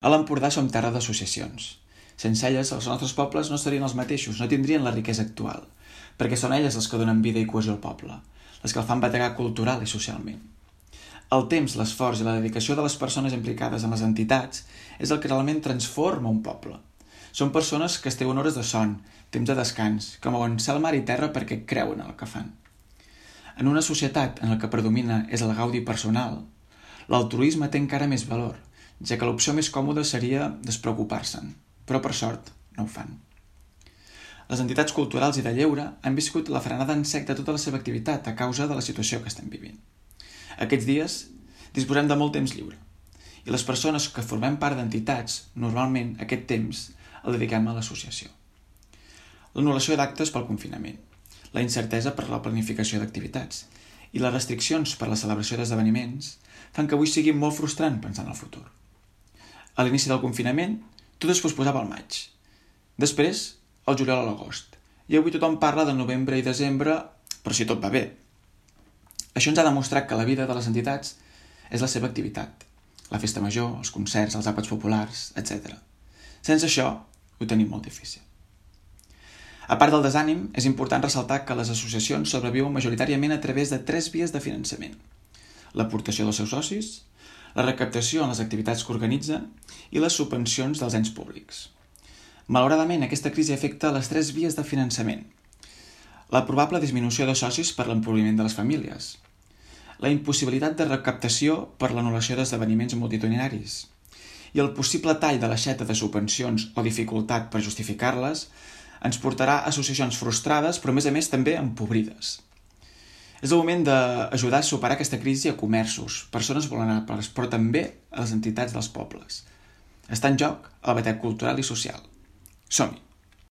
A l'Empordà som terra d'associacions. Sense elles, els nostres pobles no serien els mateixos, no tindrien la riquesa actual, perquè són elles les que donen vida i cohesió al poble, les que el fan bategar cultural i socialment. El temps, l'esforç i la dedicació de les persones implicades en les entitats és el que realment transforma un poble. Són persones que es treuen hores de son, temps de descans, que mouen cel, mar i terra perquè creuen en el que fan. En una societat en la que predomina és el gaudi personal, l'altruisme té encara més valor, ja que l'opció més còmoda seria despreocupar-se'n, però per sort no ho fan. Les entitats culturals i de lleure han viscut la frenada en sec de tota la seva activitat a causa de la situació que estem vivint. Aquests dies disposem de molt temps lliure i les persones que formem part d'entitats, normalment aquest temps el dediquem a l'associació. L'anul·lació d'actes pel confinament, la incertesa per la planificació d'activitats i les restriccions per la celebració d'esdeveniments fan que avui sigui molt frustrant pensar en el futur. A l'inici del confinament, tot es posposava al maig. Després, al juliol a l'agost. I avui tothom parla de novembre i desembre, però si tot va bé. Això ens ha demostrat que la vida de les entitats és la seva activitat. La festa major, els concerts, els àpats populars, etc. Sense això, ho tenim molt difícil. A part del desànim, és important ressaltar que les associacions sobreviuen majoritàriament a través de 3 vies de finançament. L'aportació dels seus socis, la recaptació en les activitats que organitzen i les subvencions dels ens públics. Malauradament, aquesta crisi afecta les 3 vies de finançament. La probable disminució de socis per l'empobriment de les famílies, la impossibilitat de recaptació per l'anul·lació d'esdeveniments multitudinaris i el possible tall de l'aixeta de subvencions o dificultat per justificar-les ens portarà a associacions frustrades, però a més també empobrides. És el moment d'ajudar a superar aquesta crisi a comerços, persones vulnerables, però també a les entitats dels pobles. Està en joc el batec cultural i social. Som-hi!